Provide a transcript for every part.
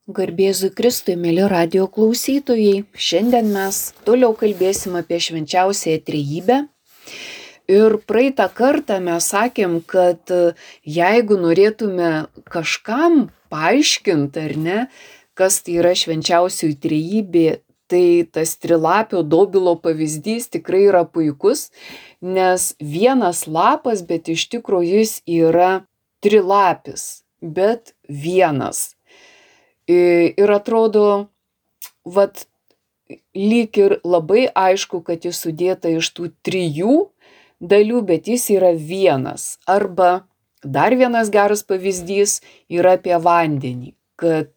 Garbėzui Kristui, mėly radijo klausytojai, šiandien mes toliau kalbėsim apie švenčiausiąją trejybę. Ir praeitą kartą mes sakėm, kad jeigu norėtume kažkam paaiškinti, ar ne, kas tai yra švenčiausioji trejybė, tai tas trilapio dobilo pavyzdys tikrai yra puikus, nes vienas lapas, bet iš tikrųjų jis yra trilapis, bet vienas. Ir atrodo, lyg ir labai aišku, kad jis sudėta iš tų trijų dalių, bet jis yra vienas. Arba dar vienas geras pavyzdys yra apie vandenį, kad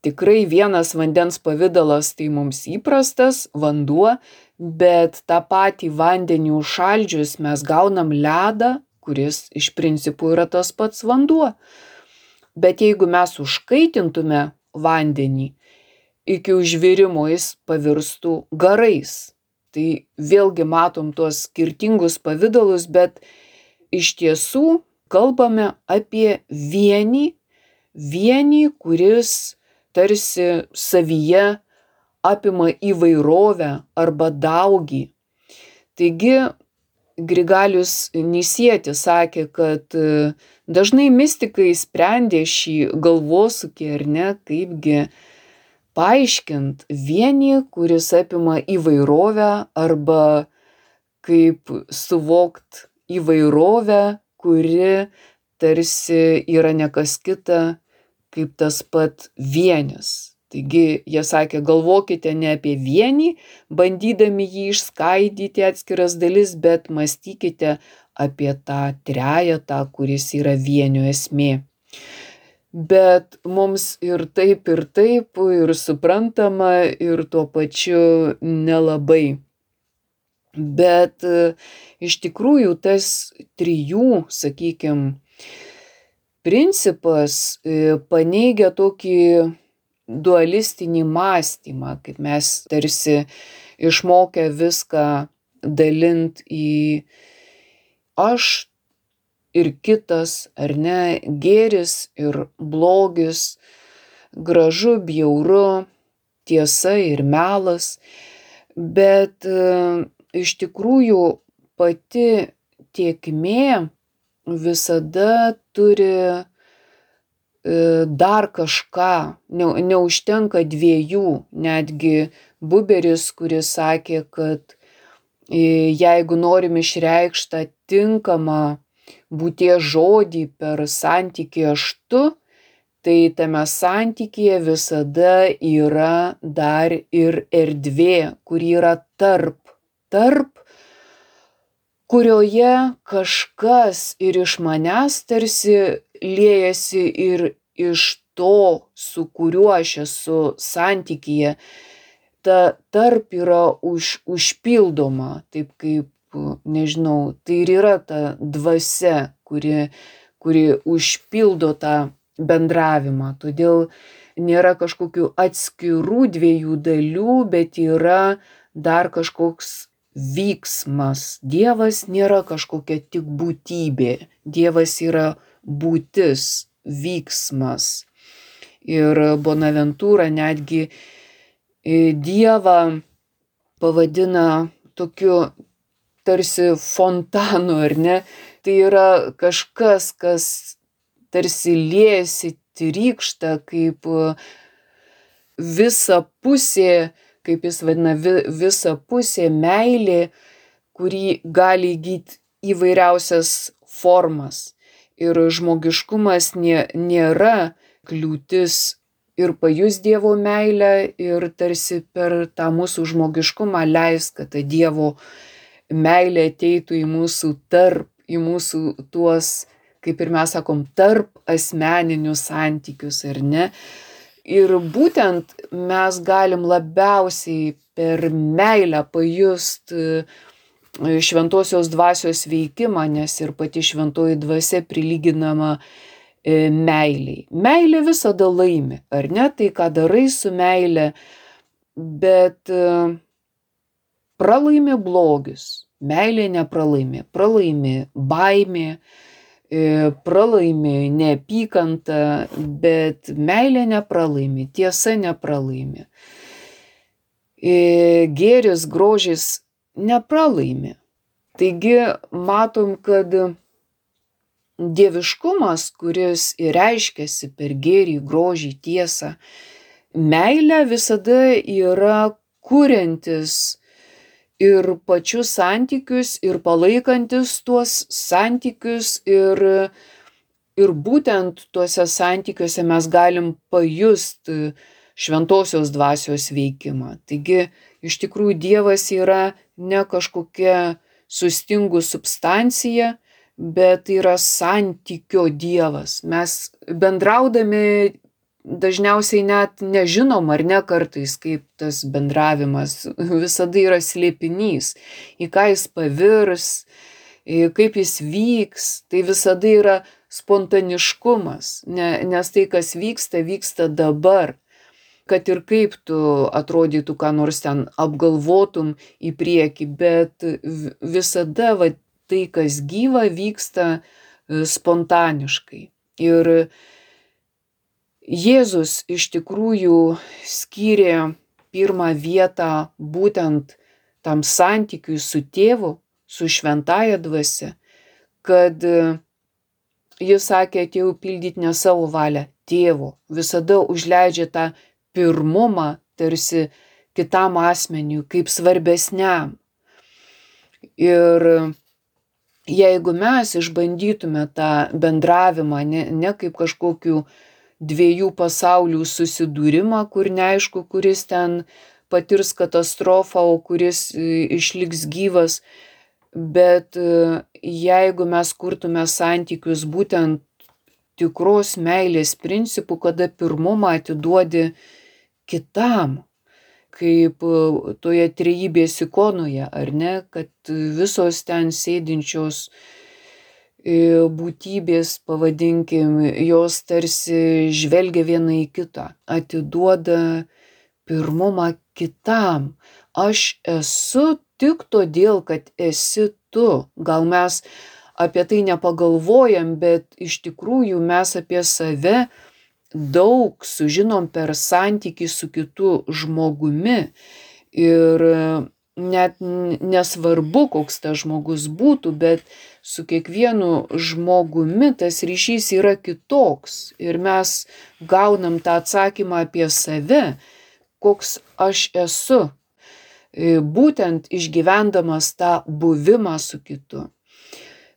tikrai vienas vandens pavidalas tai mums įprastas vanduo, bet tą patį vandenį užšaldžius mes gaunam ledą, kuris iš principo yra tas pats vanduo. Bet jeigu mes užkaitintume vandenį, iki užvirimo jis pavirstų garais. Tai vėlgi matom tuos skirtingus pavidalus, bet iš tiesų kalbame apie vienį, kuris tarsi savyje apima įvairovę arba daugį. Taigi Grigalius Nisietis sakė, kad dažnai mistikai sprendė šį galvosūkį, ar ne, kaipgi paaiškint vienį, kuris apima įvairovę, arba kaip suvokt įvairovę, kuri tarsi yra ne kas kita, kaip tas pat vienis. Taigi jie sakė, galvokite ne apie vienį, bandydami jį išskaidyti atskiras dalis, bet mąstykite apie tą trejetą, kuris yra vienio esmė. Bet mums ir taip, ir suprantama, ir tuo pačiu nelabai. Bet iš tikrųjų tas trijų, sakykime, principas paneigia tokį dualistinį mąstymą, kaip mes tarsi išmokę viską dalint į aš ir kitas, ar ne, gėris ir blogis, gražu, bjauru, tiesa ir melas, bet iš tikrųjų pati tėkmė visada turi dar kažką, neužtenka dviejų, netgi Buberis, kuris sakė, kad jeigu norim išreikšti tą tinkamą būties žodį per santykį aš tu, tai tame santykyje visada yra dar ir erdvė, kuri yra tarp, kurioje kažkas ir iš manęs tarsi liejasi ir iš to, su kuriuo aš esu santykyje. Ta tarp yra užpildoma, taip kaip, nežinau, tai ir yra ta dvasia, kuri užpildo tą bendravimą. Todėl nėra kažkokių atskirų dviejų dalių, bet yra dar kažkoks vyksmas. Dievas nėra kažkokia tik būtybė. Dievas yra būtis, vyksmas. Ir Bonaventūra netgi Dievą pavadina tokiu tarsi fontanu, ar ne? Tai yra kažkas, kas tarsi liejasi, trykšta, kaip visa pusė, kaip jis vadina, visa pusė meilė, kuri gali įgyti įvairiausias formas. Ir žmogiškumas nėra kliūtis ir pajus Dievo meilę, ir tarsi per tą mūsų žmogiškumą leis, kad ta Dievo meilė ateitų į mūsų į mūsų tuos, kaip ir mes sakom, tarp asmeninius santykius, ar ne? Ir būtent mes galim labiausiai per meilę pajust šventosios dvasios veikimą, nes ir pati šventoji dvasia prilyginama meiliai. Meilė visada laimi, ar ne? Tai ką darai su meilė, bet pralaimi blogis, meilė nepralaimi, pralaimi baimė, pralaimi neapykanta, bet meilė nepralaimi, tiesa nepralaimi. Gėris, grožis nepralaimi. Taigi matom, kad dieviškumas, kuris ir reiškiasi per gėrį, grožį, tiesą, meilė visada yra kuriantis ir pačius santykius, ir palaikantis tuos santykius, ir būtent tuose santykiuose mes galim pajusti šventosios dvasios veikimą. Taigi, iš tikrųjų, Dievas yra ne kažkokia sustingus substancija, bet yra santykio Dievas. Mes bendraudami dažniausiai net nežinom, ar ne kartais, kaip tas bendravimas visada yra slėpinys, į ką jis pavirs, kaip jis vyks, tai visada yra spontaniškumas, nes tai, kas vyksta, vyksta dabar. Kad ir kaip tu atrodytų, ką nors ten apgalvotum į priekį, bet visada tai, kas gyva, vyksta spontaniškai. Ir Jėzus iš tikrųjų skyrė pirmą vietą būtent tam santykiui su tėvu, su šventąja dvasia, kad jis sakė, atėjau pildyti ne savo valią, tėvo, visada užleidžia tą pirmumą tarsi kitam asmeniui, kaip svarbesniam. Ir jeigu mes išbandytume tą bendravimą, ne kaip kažkokiu dviejų pasaulių susidūrimą, kur neaišku, kuris ten patirs katastrofą, o kuris išliks gyvas, bet jeigu mes kurtume santykius būtent tikros meilės principų, kada pirmumą atiduodi kitam, kaip toje trejybės ikonoje, ar ne, kad visos ten sėdinčios būtybės, pavadinkim, jos tarsi žvelgia viena į kitą, atiduoda pirmumą kitam. Aš esu tik todėl, kad esi tu. Gal mes apie tai nepagalvojam, bet iš tikrųjų mes apie save daug sužinom per santykį su kitu žmogumi. Ir net nesvarbu, koks tas žmogus būtų, bet su kiekvienu žmogumi tas ryšys yra kitoks. Ir mes gaunam tą atsakymą apie save, koks aš esu, būtent išgyvendamas tą buvimą su kitu.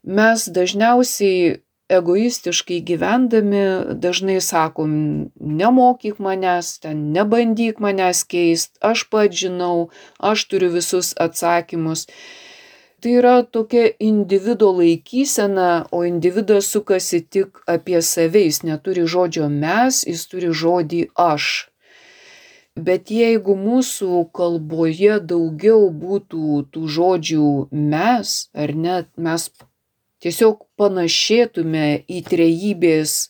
Mes dažniausiai egoistiškai gyvendami dažnai sakom, nemokyk manęs, ten nebandyk manęs keist, aš pats žinau, aš turiu visus atsakymus. Tai yra tokia individo laikysena, o individas sukasi tik apie save, jis neturi žodžio mes, jis turi žodį aš. Bet jeigu mūsų kalboje daugiau būtų tų žodžių mes, ar net mes tiesiog panašėtume į trejybės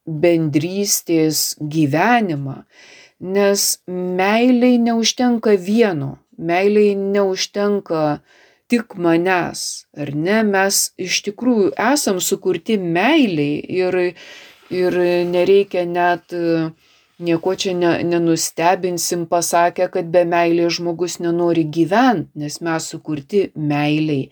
bendrystės gyvenimą, nes meiliai neužtenka vieno, meiliai neužtenka tik manęs, ar ne, mes iš tikrųjų esam sukurti meiliai ir nereikia net nieko čia nenustebinsim pasakę, kad be meilės žmogus nenori gyventi, nes mes sukurti meiliai.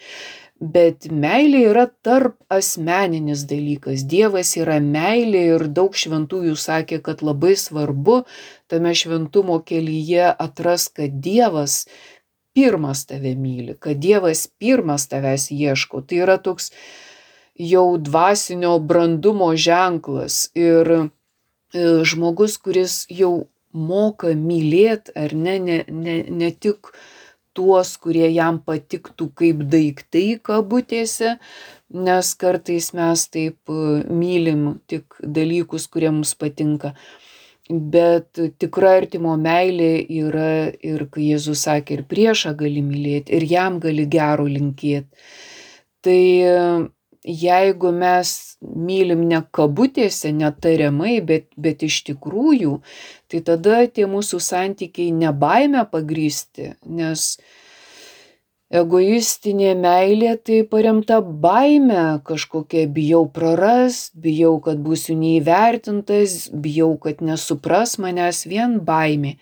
Bet meilė yra tarp asmeninis dalykas. Dievas yra meilė ir daug šventųjų sakė, kad labai svarbu tame šventumo kelyje atras, kad Dievas pirmas tave myli, kad Dievas pirmas tavęs ieško. Tai yra toks jau dvasinio brandumo ženklas. Ir žmogus, kuris jau moka mylėti, ar ne tik tuos, kurie jam patiktų kaip daiktai kabutėse, nes kartais mes taip mylim tik dalykus, kurie mums patinka. Bet tikra artimo meilė yra ir kai Jėzus sakė, ir priešą gali mylėti, ir jam gali gero linkėti. Tai jeigu mes mylim ne kabutėse, netariamai, bet iš tikrųjų, tai tada tie mūsų santykiai ne baime pagrįsti, nes Egoistinė meilė tai paremta baime kažkokia, bijau prarast, bijau, kad būsiu neįvertintas, bijau, kad nesupras manęs, vien baimė.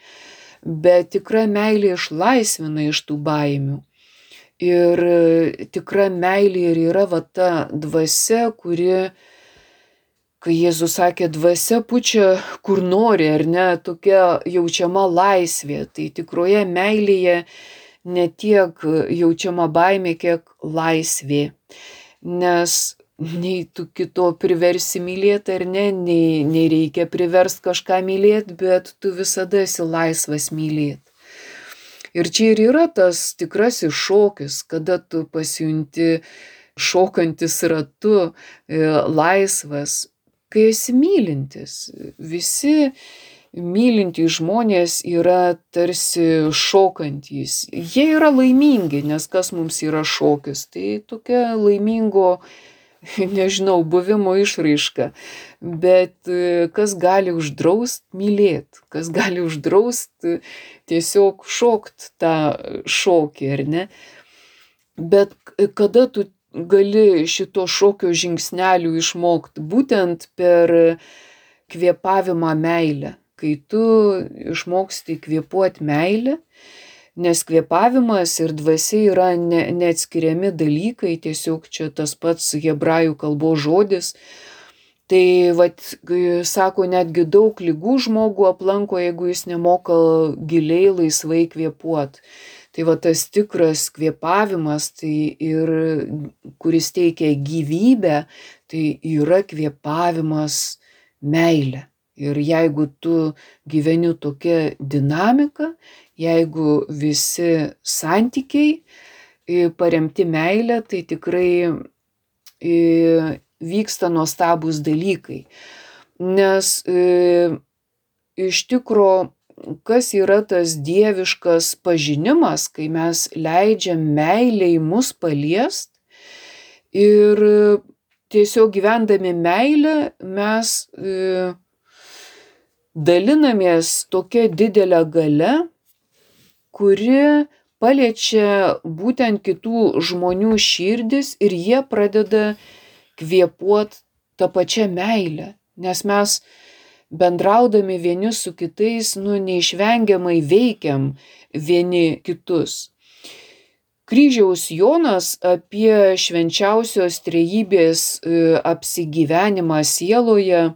Bet tikra meilė išlaisvina iš tų baimių. Ir tikra meilė ir yra va ta dvasia, kuri, kai Jėzus sakė, dvasia pučia kur nori, ar ne, tokia jaučiama laisvė. Tai tikroje meilėje ne tiek jaučiama baimė, kiek laisvė. Nes nei tu kito priversi mylėti, ar ne, nei reikia priverst kažką mylėti, bet tu visada esi laisvas mylėti. Ir čia ir yra tas tikrasis šokis, kada tu pasijunti šokantis ratu, laisvas, kai esi mylintis. Visi mylintys žmonės yra tarsi šokantys. Jie yra laimingi, nes kas mums yra šokis? Tai tokia laimingo, nežinau, buvimo išraiška. Bet kas gali uždraust mylėt? Kas gali uždraust tiesiog šokt tą šokį, ar ne? Bet kada tu gali šito šokio žingsnelių išmokti? Būtent per kvėpavimą meilę. Kai tu išmoksti kvėpuoti meilę, nes kvėpavimas ir dvasia yra neatskiriami dalykai, tiesiog čia tas pats hebrajų kalbos žodis. Tai vat, sako, netgi daug ligų žmogų aplanko, jeigu jis nemoka giliai laisvai kvėpuoti. Tai va tas tikras kvėpavimas, tai ir kuris teikia gyvybę, tai yra kvėpavimas meilė. Ir jeigu tu gyveni tokia dinamika, jeigu visi santykiai paremti meilę, tai tikrai vyksta nuostabūs dalykai. Nes iš tikro, kas yra tas dieviškas pažinimas, kai mes leidžiam meilei mus paliest ir tiesiog gyvendami meilę mes dalinamės tokia didelė galia, kuri paliečia būtent kitų žmonių širdis ir jie pradeda kvėpuoti tą pačią meilę. Nes mes bendraudami vieni su kitais, neišvengiamai veikiam vieni kitus. Kryžiaus Jonas apie švenčiausios trejybės apsigyvenimą sieloje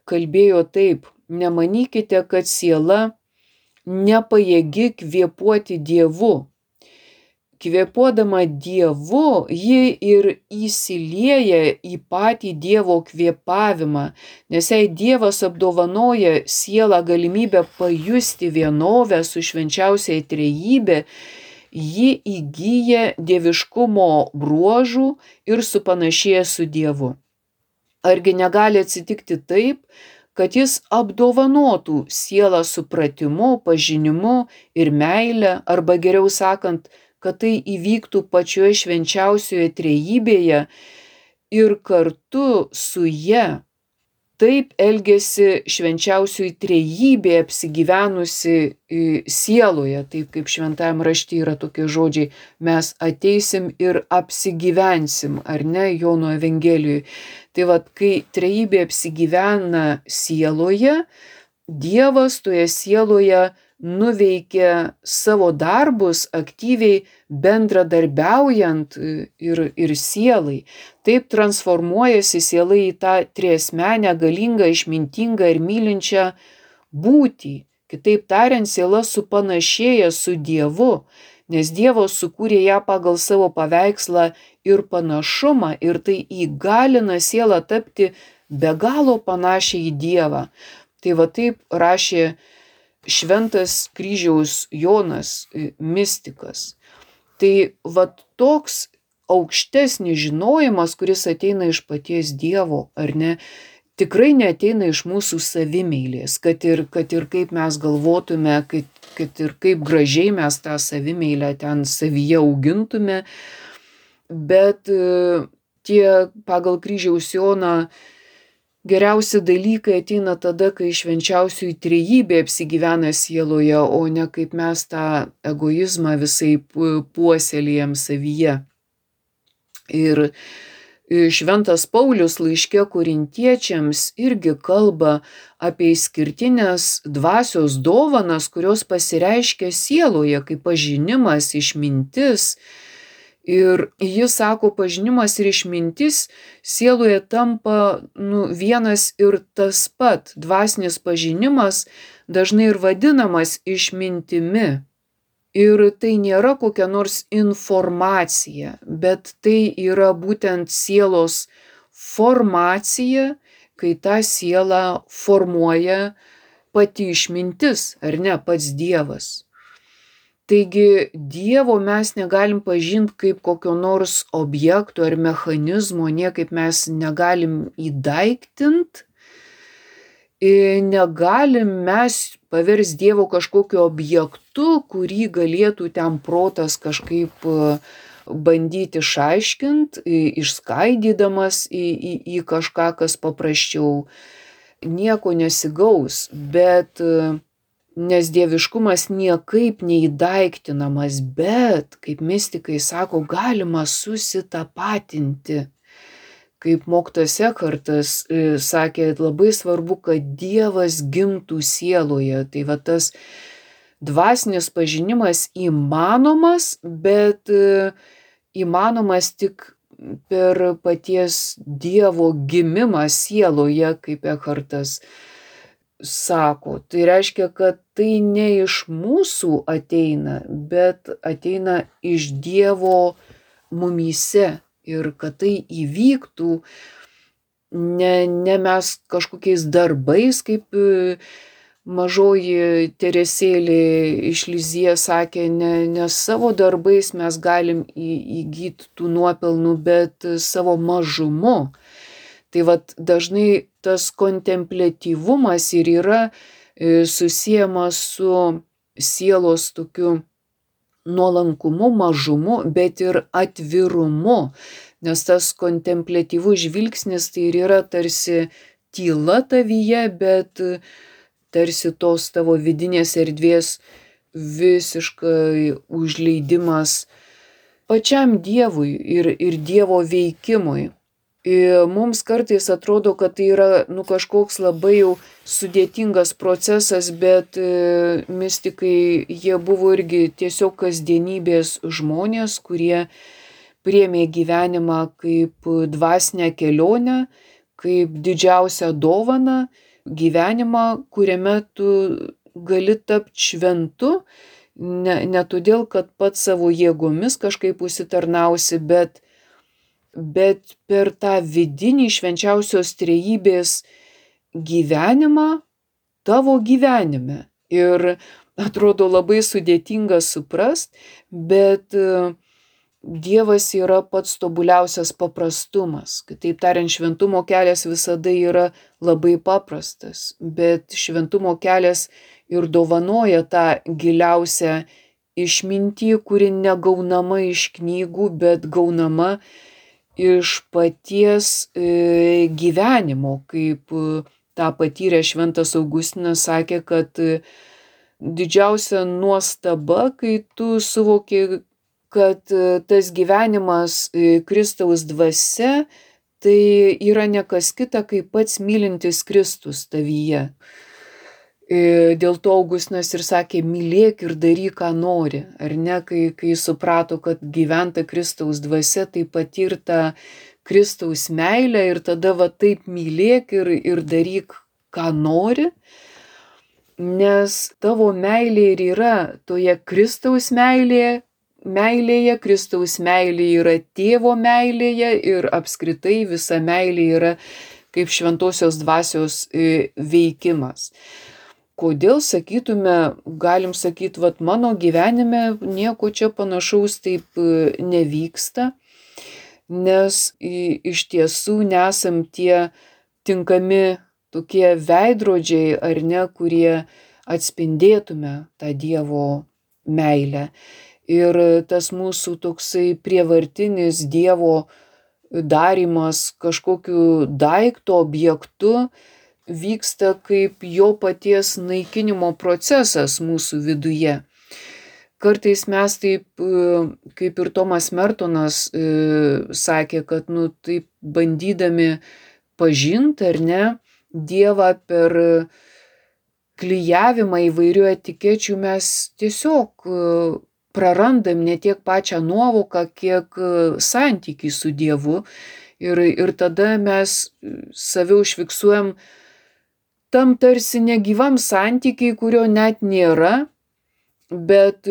kalbėjo taip: nemanykite, kad siela nepajėgi kvėpuoti Dievu. Kvėpuodama Dievu, ji ir įsilieja į patį Dievo kvėpavimą, nes jei Dievas apdovanoja sielą galimybę pajusti vienovę su švenčiausiai trejybė, ji įgyja dieviškumo bruožų ir supanašėja su Dievu. Argi negali atsitikti taip, kad jis apdovanotų sielą supratimu, pažinimu ir meile, arba geriau sakant, kad tai įvyktų pačioje švenčiausioje trejybėje ir kartu su ja. Taip elgėsi švenčiausioji trejybė apsigyvenusi sieloje, taip kaip šventajam rašte yra tokie žodžiai: mes ateisim ir apsigyvensim, ar ne, Jono Evangelijoje. Tai vat, kai trejybė apsigyvena sieloje, Dievas toje sieloje nuveikia savo darbus aktyviai bendradarbiaujant ir sielai. Taip transformuojasi siela į tą triasmenę, galingą, išmintingą ir mylinčią būtį. Kitaip tariant, siela supanašėja su Dievu, nes Dievas sukūrė ją pagal savo paveikslą ir panašumą, ir tai įgalina sielą tapti be galo panašią į Dievą. Tai va taip rašė šventas Kryžiaus Jonas, mistikas. Tai va toks aukštesnis žinojimas, kuris ateina iš paties Dievo, ar ne, tikrai neateina iš mūsų savimeilės, kad ir kaip mes galvotume, kad ir kaip gražiai mes tą savimeilę ten savyje augintume, bet tie pagal Kryžiaus Joną Geriausi dalykai ateina tada, kai švenčiausioji trejybė apsigyvena sieloje, o ne kaip mes tą egoizmą visai puoselėjam savyje. Ir Šventas Paulius laiške korintiečiams irgi kalba apie išskirtinės dvasios dovanas, kurios pasireiškia sieloje, kaip pažinimas, išmintis. Ir jis sako, pažinimas ir išmintis sieloje tampa vienas ir tas pat. Dvasinis pažinimas dažnai ir vadinamas išmintimi. Ir tai nėra kokia nors informacija, bet tai yra būtent sielos formacija, kai tą sielą formuoja pati išmintis, ar ne, pats Dievas. Taigi Dievo mes negalim pažinti kaip kokio nors objekto ar mechanizmo, niekaip mes negalim įdaiktint, negalim mes paversti Dievo kažkokiu objektu, kurį galėtų ten protas kažkaip bandyti išaiškinti, išskaidydamas į kažką, kas paprasčiau. Nieko nesigaus, bet nes dieviškumas niekaip neįdaiktinamas, bet, kaip mistikai sako, galima susitapatinti. Kaip mokytojas Ekhartas sakė, labai svarbu, kad Dievas gimtų sieloje. Tai va tas dvasinis pažinimas įmanomas, bet įmanomas tik per paties Dievo gimimą sieloje, kaip Ekhartas sako. Tai reiškia, kad tai ne iš mūsų ateina, bet ateina iš Dievo mumyse. Ir kad tai įvyktų ne mes kažkokiais darbais, kaip mažoji Teresėlė iš Lizie sakė, ne savo darbais mes galim įgyti tų nuopelnų, bet savo mažumu. Tai vat dažnai tas kontempliatyvumas ir yra susiejamas su sielos tokiu nuolankumu, mažumu, bet ir atvirumu. Nes tas kontempliatyvus žvilgsnis tai ir yra tarsi tyla tavyje, bet tarsi tos tavo vidinės erdvės visiškai užleidimas pačiam Dievui ir Dievo veikimui. Ir mums kartais atrodo, kad tai yra kažkoks labai jau sudėtingas procesas, bet mistikai jie buvo irgi tiesiog kasdienybės žmonės, kurie priėmė gyvenimą kaip dvasinę kelionę, kaip didžiausią dovaną, gyvenimą, kuriame tu gali tapti šventu, ne todėl, kad pats savo jėgomis kažkaip užsitarnausi, bet per tą vidinį švenčiausios trejybės gyvenimą tavo gyvenime. Ir atrodo labai sudėtinga suprast, bet Dievas yra pats tobuliausias paprastumas. Kitaip tariant, šventumo kelias visada yra labai paprastas, bet šventumo kelias ir dovanoja tą giliausią išmintį, kuri negaunama iš knygų, bet gaunama iš paties gyvenimo, kaip tą patyrė šventas Augustinas, sakė, kad didžiausia nuostaba, kai tu suvoki, kad tas gyvenimas Kristaus dvasia, tai yra ne kas kita, kaip pats mylintis Kristus tavyje. Dėl to Augustinas ir sakė, mylėk ir daryk, ką nori. Ar ne, kai suprato, kad gyventa Kristaus dvasia, tai patirta Kristaus meilę ir tada va taip mylėk ir daryk, ką nori. Nes tavo meilė ir yra toje Kristaus meilėje, Kristaus meilė yra tėvo meilėje ir apskritai visa meilė yra kaip šventosios dvasios veikimas. Kodėl sakytume, galim sakyti, vat mano gyvenime nieko čia panašaus taip nevyksta, nes iš tiesų nesam tie tinkami tokie veidrodžiai, ar ne, kurie atspindėtume tą Dievo meilę. Ir tas mūsų toksai prievartinis Dievo darymas kažkokiu daikto objektu vyksta kaip jo paties naikinimo procesas mūsų viduje. Kartais mes taip, kaip ir Tomas Mertonas sakė, kad taip bandydami pažinti ar ne Dievą per klijavimą įvairių etikečių mes tiesiog prarandam ne tiek pačią nuovoką, kiek santykį su Dievu ir tada mes save užfiksuojam tam tarsi negyvam santykiai, kurio net nėra, bet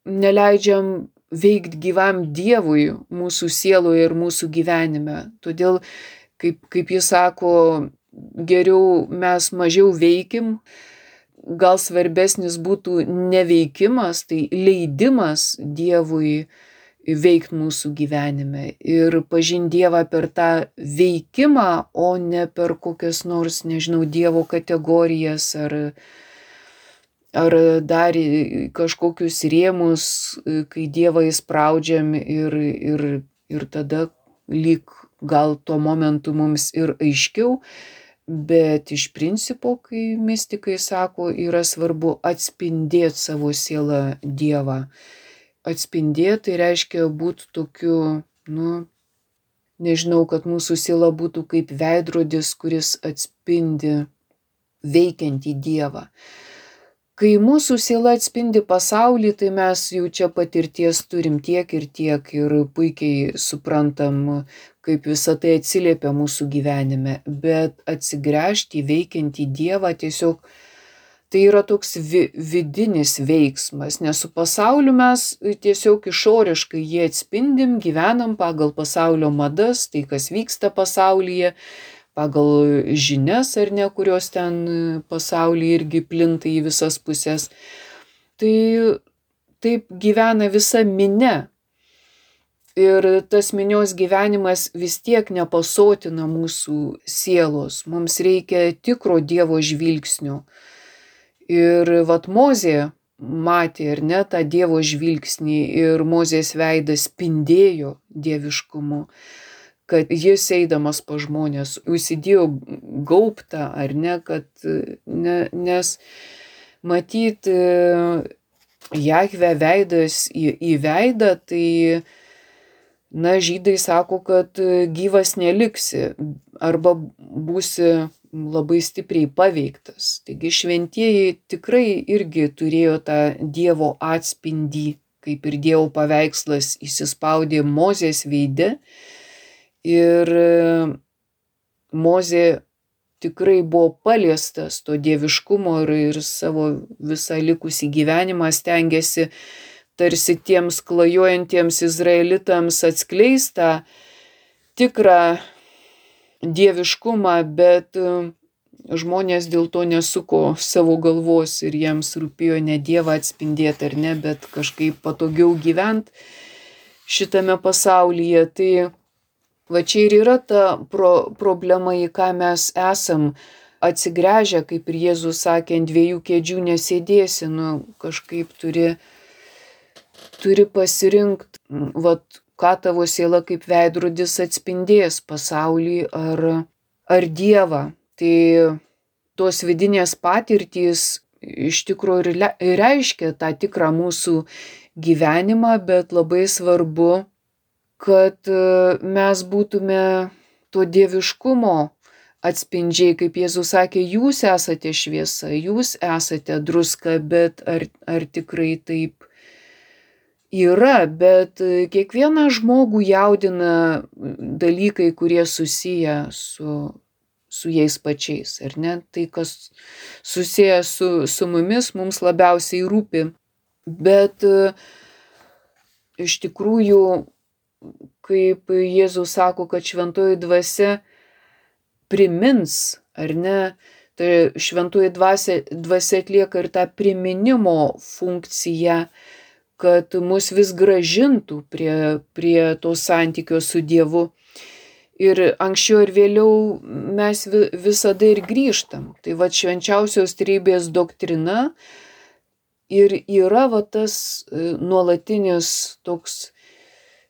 neleidžiam veikti gyvam Dievui mūsų sieloje ir mūsų gyvenime. Todėl, kaip jis sako, geriau mes mažiau veikim, gal svarbesnis būtų neveikimas, tai leidimas Dievui veikti mūsų gyvenime ir pažinti Dievą per tą veikimą, o ne per kokias nors, nežinau, Dievo kategorijas ar dar kažkokius rėmus, kai Dievą įspraudžiam ir tada lyg gal tuo momentu mums ir aiškiau, bet iš principo, kai mistikai sako, yra svarbu atspindėti savo sielą Dievą. Atspindėti tai reiškia būti tokiu, nežinau, kad mūsų siela būtų kaip veidrodis, kuris atspindi veikiantį Dievą. Kai mūsų siela atspindi pasaulį, tai mes jau čia patirties turim tiek ir puikiai suprantam, kaip visa tai atsiliepia mūsų gyvenime, bet atsigręžti į veikiantį Dievą tiesiog tai yra toks vidinis veiksmas, nes su pasauliu mes tiesiog išoriškai jį atspindim, gyvenam pagal pasaulio madas, tai kas vyksta pasaulyje, pagal žinias ar ne, kurios ten pasaulyje irgi plinta į visas pusės. Tai taip gyvena visa minia. Ir tas minios gyvenimas vis tiek nepasotina mūsų sielos. Mums reikia tikro Dievo žvilgsnio. Ir Mozė matė, ar ne, tą Dievo žvilgsnį ir Mozės veidas spindėjo dieviškumu, kad jis eidamas pa žmonės užsidėjo gaubtą, ar ne, nes matyt Jahve veidas į veidą, tai žydai sako, kad gyvas neliksi arba būsi labai stipriai paveiktas. Taigi šventieji tikrai irgi turėjo tą Dievo atspindį, kaip ir Dievo paveikslas įsispaudė Mozės veide. Ir Mozė tikrai buvo paliestas to dieviškumo ir savo visą likusį gyvenimą stengėsi tarsi tiems klajojantiems izraelitams atskleistą tikrą dieviškumą, bet žmonės dėl to nesuko savo galvos ir jiems rūpėjo ne Dievą atspindėti ar ne, bet kažkaip patogiau gyventi šitame pasaulyje. Tai va čia ir yra ta problema, į ką mes esam atsigręžę, kaip ir Jėzus sakė, ant dviejų kėdžių nesėdėsi, kažkaip turi pasirinkti, ką tavo siela kaip veidrodis atspindės, pasaulį ar Dievą. Tai tos vidinės patirtys iš tikrųjų ir reiškia tą tikrą mūsų gyvenimą, bet labai svarbu, kad mes būtume to dieviškumo atspindžiai, kaip Jėzus sakė, jūs esate šviesa, jūs esate druska, bet ar tikrai taip yra, bet kiekvieną žmogų jaudina dalykai, kurie susiję su jais pačiais, ar ne? Tai, kas susiję su mumis, mums labiausiai rūpi. Bet iš tikrųjų, kaip Jėzus sako, kad šventoji dvasia primins, ar ne? Tai šventoji dvasia atlieka ir tą priminimo funkciją, kad mus vis grąžintų prie to santykio su Dievu. Ir anksčiau ir vėliau mes visada ir grįžtam. Tai švenčiausios trejybės doktrina ir yra tas nuolatinis toks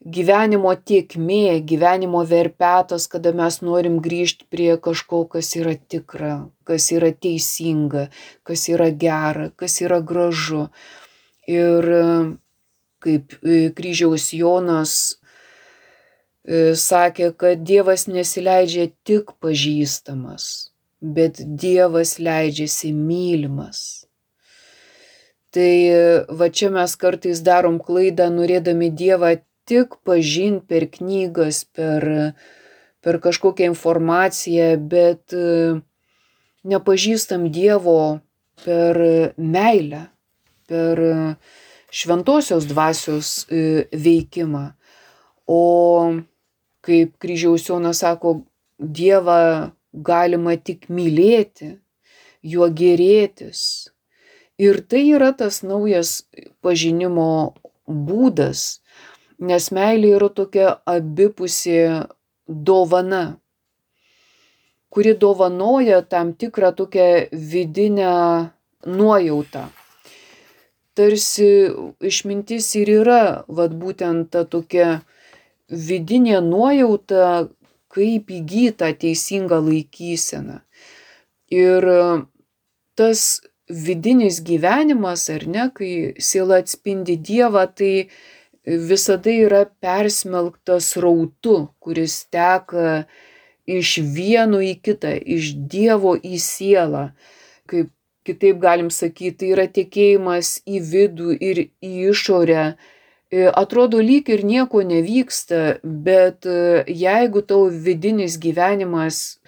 gyvenimo tėkmė, gyvenimo verpetas, kada mes norim grįžti prie kažko, kas yra tikra, kas yra teisinga, kas yra gera, kas yra gražu. Ir kaip kryžiaus Jonas sakė, kad Dievas nesileidžia tik pažįstamas, bet Dievas leidžiasi mylimas. Tai va čia mes kartais darom klaidą, norėdami Dievą tik pažinti per knygas, per kažkokią informaciją, bet nepažįstam Dievo per meilę, per šventosios dvasios veikimą. O kaip kryžiaus Jonas sako, Dievą galima tik mylėti, juo gėrėtis. Ir tai yra tas naujas pažinimo būdas, nes meilė yra tokia abipusė dovana, kuri dovanoja tam tikrą tokią vidinę nuojautą. Tarsi išmintis ir yra, vat būtent ta tokia vidinė nuojauta, kaip įgyta teisinga laikysena. Ir tas vidinis gyvenimas, ar ne, kai siela atspindi Dievą, tai visada yra persmelktas srautu, kuris teka iš vieno į kitą, iš Dievo į sielą. Kaip kitaip galim sakyti, tai yra tekėjimas į vidų ir į išorę. Atrodo, lyg ir nieko nevyksta, bet jeigu tavo vidinis gyvenimas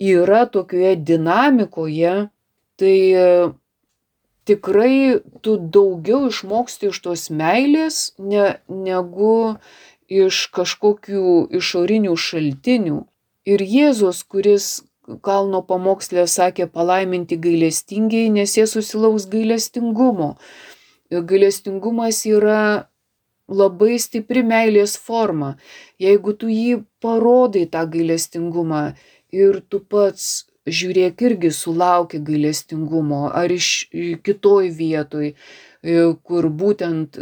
yra tokioje dinamikoje, tai tikrai tu daugiau išmoksti iš tos meilės, negu iš kažkokių išorinių šaltinių. Ir Jėzus, kuris kalno pamoksle sakė, palaiminti gailestingieji, nes jie susilauks gailestingumo. Gailestingumas yra labai stipri meilės forma. Jeigu tu jį parodai tą gailestingumą ir tu pats žiūrėk irgi sulauki gailestingumo, ar iš kitoj vietoj, kur būtent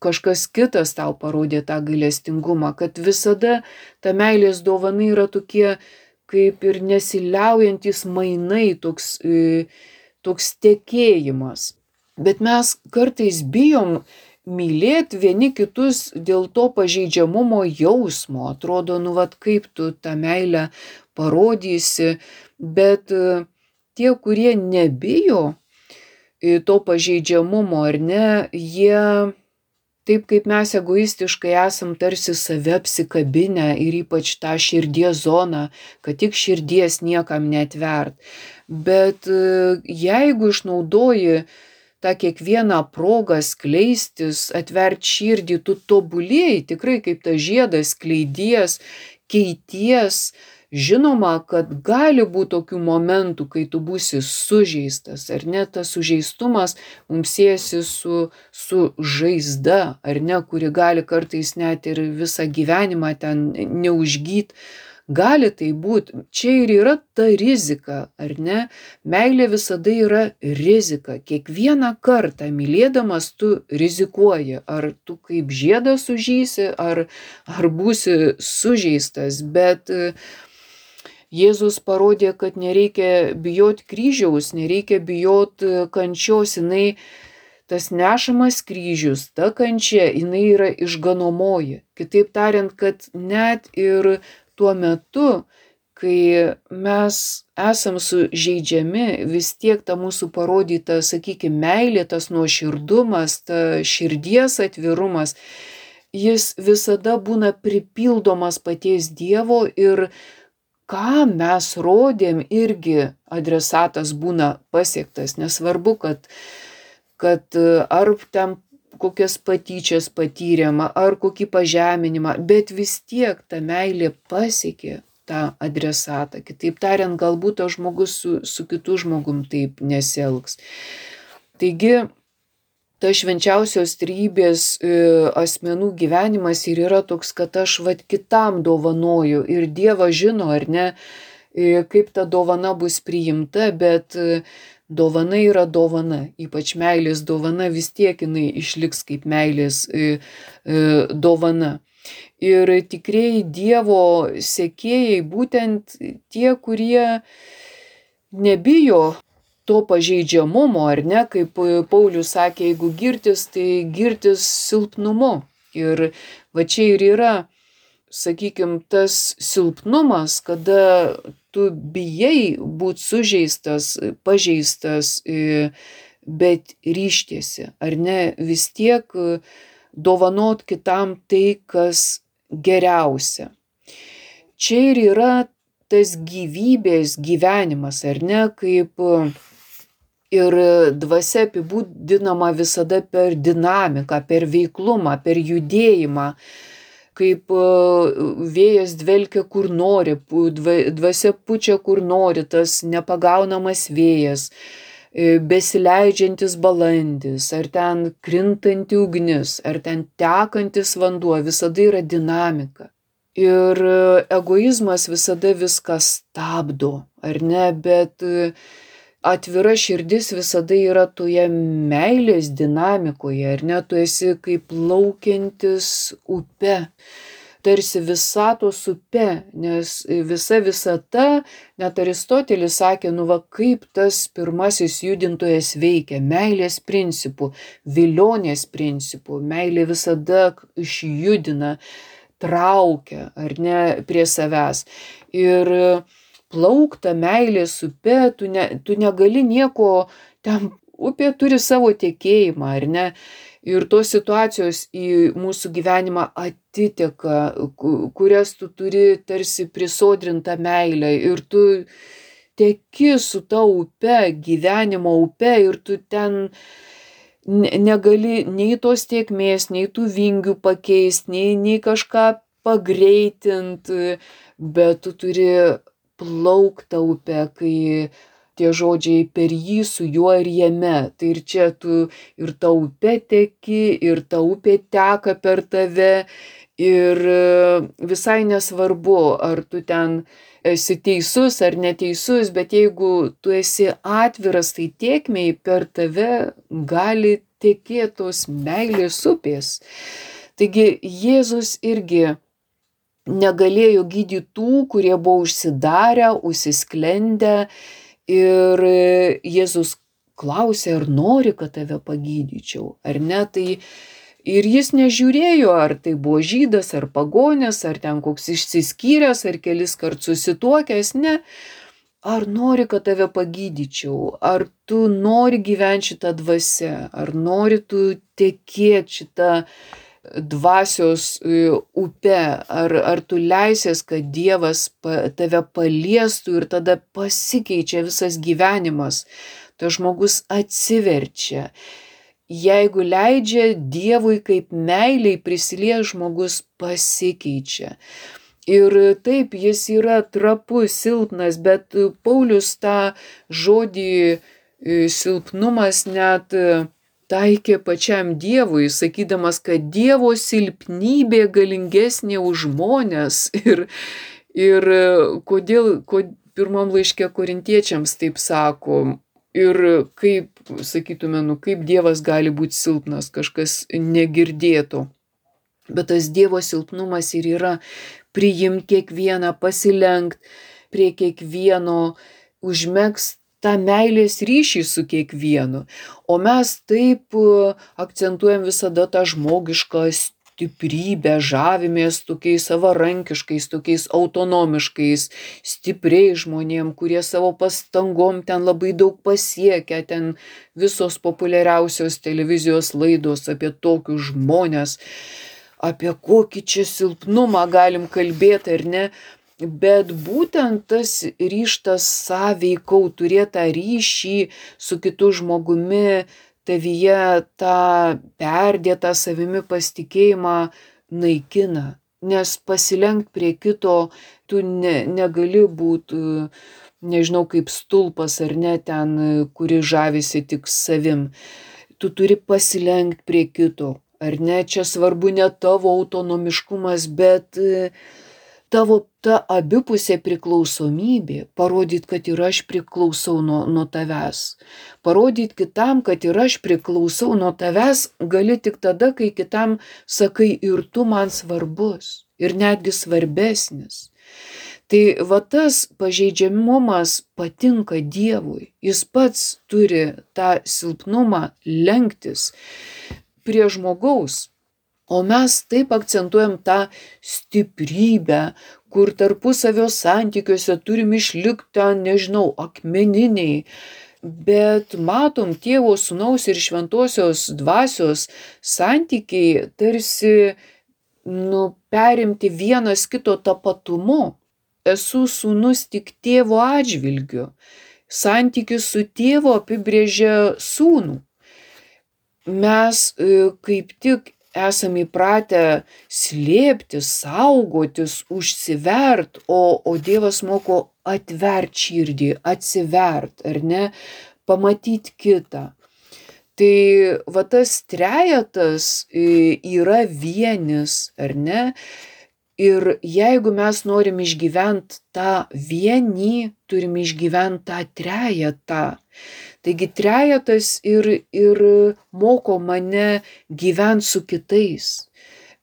kažkas kitas tau parodė tą gailestingumą, kad visada ta meilės dovana yra tokie kaip ir nesiliaujantis mainai, toks tekėjimas. Bet mes kartais bijom mylėti vieni kitus dėl to pažeidžiamumo jausmo. Atrodo, vat kaip tu tą meilę parodysi, bet tie, kurie nebijo to pažeidžiamumo, ar ne, jie taip kaip mes egoistiškai esam tarsi save apsikabinę ir ypač tą širdies zoną, kad tik širdies niekam neatvert. Bet jeigu išnaudoji tą kiekvieną progą skleistis, atvert širdį, tu tobulėji tikrai kaip tas žiedas, skleidies, keities. Žinoma, kad gali būti tokių momentų, kai tu būsi sužeistas, ar ne, tas sužeistumas mums siejasi su žaizda, ar ne, kuri gali kartais net ir visą gyvenimą ten neužgyt. Gali tai būti, čia ir yra ta rizika, ar ne? Meilė visada yra rizika. Kiekvieną kartą mylėdamas tu rizikuoji, ar tu kaip žiedas sužysi, ar būsi sužeistas, bet Jėzus parodė, kad nereikia bijoti kryžiaus, nereikia bijoti kančios, tas nešamas kryžius, ta kančia, jinai yra išganomoji. Kitaip tariant, kad net ir tuo metu, kai mes esam sužeidžiami, vis tiek ta mūsų parodyta, sakykime, meilė, tas nuoširdumas, ta širdies atvirumas, jis visada būna pripildomas paties Dievo ir ką mes rodėm, irgi adresatas būna pasiektas. Nesvarbu, kad ar ten kokias patyčias patyrėm, ar kokį pažeminimą, bet vis tiek ta meilė pasiekė tą adresatą. Kitaip tariant, galbūt tas žmogus su kitu žmogum taip nesielgs. Taigi, ta švenčiausios trejybės asmenų gyvenimas ir yra toks, kad aš kitam dovanoju ir Dievas žino, ar ne, kaip ta dovana bus priimta, bet dovana yra dovana, ypač meilės dovana, vis tiek jinai išliks kaip meilės dovana. Ir tikrieji Dievo sekėjai būtent tie, kurie nebijo to pažeidžiamumo, ar ne, kaip Paulius sakė, jeigu girtis, tai girtis silpnumu. Ir va čia ir yra, sakykime, tas silpnumas, kada tu bijai būti sužeistas, pažeistas, bet ryštiesi, ar ne, vis tiek dovanot kitam tai, kas geriausia. Čia ir yra tas gyvybės gyvenimas, ar ne, kaip ir dvasia apibūdinama visada per dinamiką, per veiklumą, per judėjimą, kaip vėjas dvelkia kur nori, dvasia pučia kur nori, tas nepagaunamas vėjas, besileidžiantis balandis, ar ten krintanti ugnis, ar ten tekantis vanduo, visada yra dinamika. Ir egoizmas visada viską stabdo, ar ne, bet atvira širdis visada yra toje meilės dinamikoje, ar ne, tu esi kaip plaukiantis upe, tarsi visatos upe, nes visa visata, net Aristotelis sakė, nu va kaip tas pirmasis judintojas veikia, meilės principų, vilionės principų, meilė visada išjudina, traukia, ar ne, prie savęs. Ir plaukta meilės upe, tu negali nieko, ten upė turi savo tekėjimą, ar ne, ir tos situacijos į mūsų gyvenimą atiteka, kurias tu turi tarsi prisodrintą meilę, ir tu teki su ta upe, gyvenimo upe, ir tu ten negali nei tos tėkmės, nei tų vingių pakeisti, nei kažką pagreitinti, bet tu turi plauktą upę, kai tie žodžiai per jį, su juo ir jame. Tai ir čia tu ir ta upė teki, ir ta upė teka per tave, ir visai nesvarbu, ar tu ten esi teisus ar neteisus, bet jeigu tu esi atviras, tai tėkmei per tave gali tekėtos meilės upės. Taigi Jėzus irgi negalėjo gydyti tų, kurie buvo užsidarę, užsisklendę, ir Jėzus klausė, ar nori, kad tave pagydyčiau, ar ne, tai ir jis nežiūrėjo, ar tai buvo žydas, ar pagonis, ar ten koks išsiskyręs, ar kelis kart susituokęs, ne, ar nori, kad tave pagydyčiau, ar tu nori gyventi šitą dvasią, ar nori tu tekėti šitą dvasios upe, ar tu leisies, kad Dievas tave paliestų ir tada pasikeičia visas gyvenimas, tas žmogus atsiverčia. Jeigu leidžia Dievui kaip meiliai prisilies, žmogus pasikeičia. Ir taip, jis yra trapus, silpnas, bet Paulius tą žodį silpnumas net taikė pačiam Dievui, sakydamas, kad Dievo silpnybė galingesnė už žmones. Ir kodėl pirmam laiške Korintiečiams taip sako, ir kaip, sakytume, kaip Dievas gali būti silpnas, kažkas negirdėto. Bet tas Dievo silpnumas ir yra priimti kiekvieną, pasilenkt prie kiekvieno, užmegzt tą meilės ryšį su kiekvienu. O mes taip akcentuojam visada tą žmogišką stiprybę, žavimės tokiais savarankiškais, tokiais autonomiškais, stipriais žmonėm, kurie savo pastangom ten labai daug pasiekia, ten visos populiariausios televizijos laidos apie tokius žmones, apie kokį čia silpnumą galim kalbėti, ar ne. Bet būtent tas ryžtas sąveikaut, turėti tą ryšį su kitu žmogumi, tavyje tą perdėtą savimi pasitikėjimą naikina. Nes pasilenkt prie kito tu negali būti, nežinau, kaip stulpas ar ne ten, kuri žavisi tik savim. Tu turi pasilenkt prie kito, ar ne, čia svarbu ne tavo autonomiškumas, bet tavo ta abipusė priklausomybė, parodyt, kad ir aš priklausau nuo tavęs. Parodyt kitam, kad ir aš priklausau nuo tavęs, gali tik tada, kai kitam sakai ir tu man svarbus ir netgi svarbesnis. Tai va tas pažeidžiamumas patinka Dievui. Jis pats turi tą silpnumą lenktis prie žmogaus. O mes taip akcentuojam tą stiprybę, kur tarpusavio santykiuose turim išlikti, nežinau, akmeniniai. Bet matom, Tėvo, Sūnaus ir Šventosios Dvasios santykiai tarsi perimti vienas kito tapatumu. Esu sūnus tik tėvo atžvilgiu. Santykis su tėvu apibrėžia sūnų. Mes kaip tik esam įpratę slėpti, saugotis, užsivert, o Dievas moko atvert širdį, atsivert, ar ne, pamatyti kitą. Tai va tas trejetas yra vienis, ar ne? Ir jeigu mes norim išgyventi tą vienį, turim išgyventi tą trejetą. Taigi trejetas ir moko mane gyventi su kitais,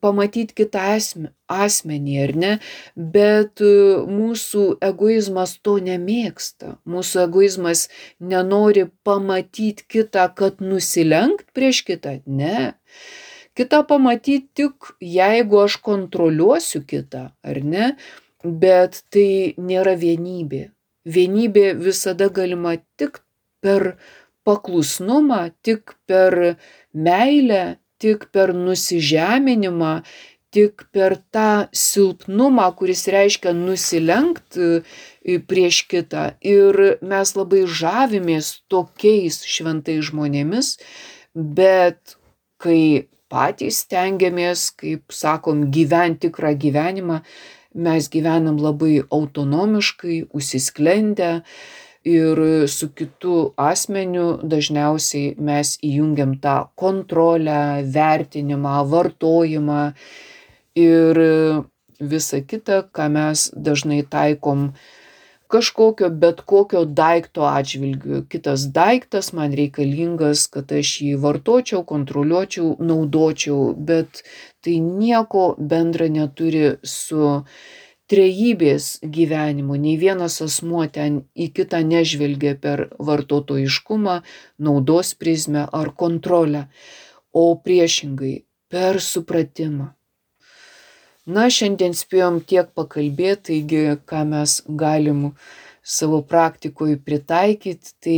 pamatyti kitą asmenį, ar ne? Bet mūsų egoizmas to nemėgsta. Mūsų egoizmas nenori pamatyti kitą, kad nusilenkt prieš kitą. Ne. Kitą pamatyti tik, jeigu aš kontroliuosiu kitą, ar ne? Bet tai nėra vienybė. Vienybė visada galima tik per paklusnumą, tik per meilę, tik per nusižeminimą, tik per tą silpnumą, kuris reiškia nusilenkt prieš kitą. Ir mes labai žavimės tokiais šventais žmonėmis, bet kai patys stengiamės, kaip sakom, gyventi tikrą gyvenimą, mes gyvenam labai autonomiškai, užsisklendę ir su kitu asmeniu dažniausiai mes įjungiam tą kontrolę, vertinimą, vartojimą ir visa kita, ką mes dažnai taikom bet kokio daikto atžvilgiu. Kitas daiktas man reikalingas, kad aš jį vartočiau, kontroliuočiau, naudočiau, bet tai nieko bendra neturi su trejybės gyvenimu. Nei vienas asmuo ten į kitą nežvelgia per vartotojiškumą, naudos prizmę ar kontrolę, o priešingai per supratimą. Na, šiandien spėjom tiek pakalbėti, taigi ką mes galim savo praktikoje pritaikyti,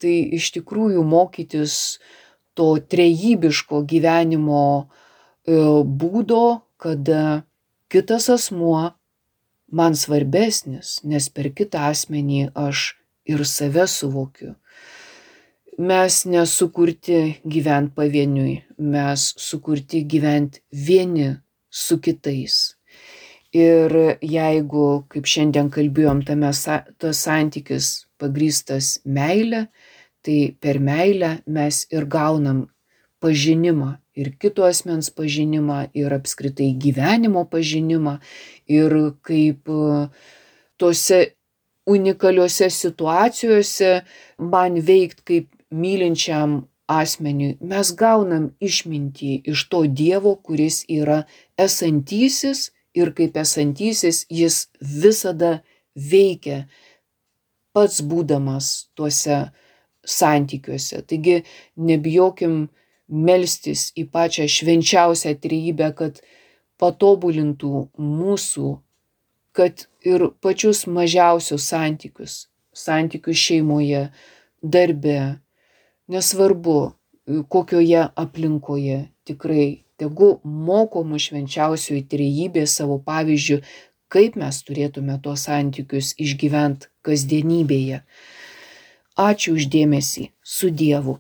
tai iš tikrųjų mokytis to trejybiško gyvenimo būdo, kada kitas asmuo man svarbesnis, nes per kitą asmenį aš ir save suvokiu. Mes nesukurti gyventi pavieniui, mes sukurti gyventi vieni su kitais. Ir jeigu, kaip šiandien kalbėjom, tas santykis pagrįstas meilė, tai per meilę mes ir gaunam pažinimą, ir kito asmens pažinimą, ir apskritai gyvenimo pažinimą, ir kaip tose unikaliuose situacijose man veikt kaip mylinčiam asmeniui. Mes gaunam išmintį iš to Dievo, kuris yra esantysis, ir kaip esantysis jis visada veikia, pats būdamas tuose santykiuose. Taigi nebijokim melstis į pačią švenčiausią trejybę, kad patobulintų mūsų, kad ir pačius mažiausius santykius šeimoje, darbe, nesvarbu kokioje aplinkoje, tikrai tegu moko mus švenčiausioji trejybė savo pavyzdžiu, kaip mes turėtume tuos santykius išgyventi kasdienybėje. Ačiū už dėmesį. Su Dievu.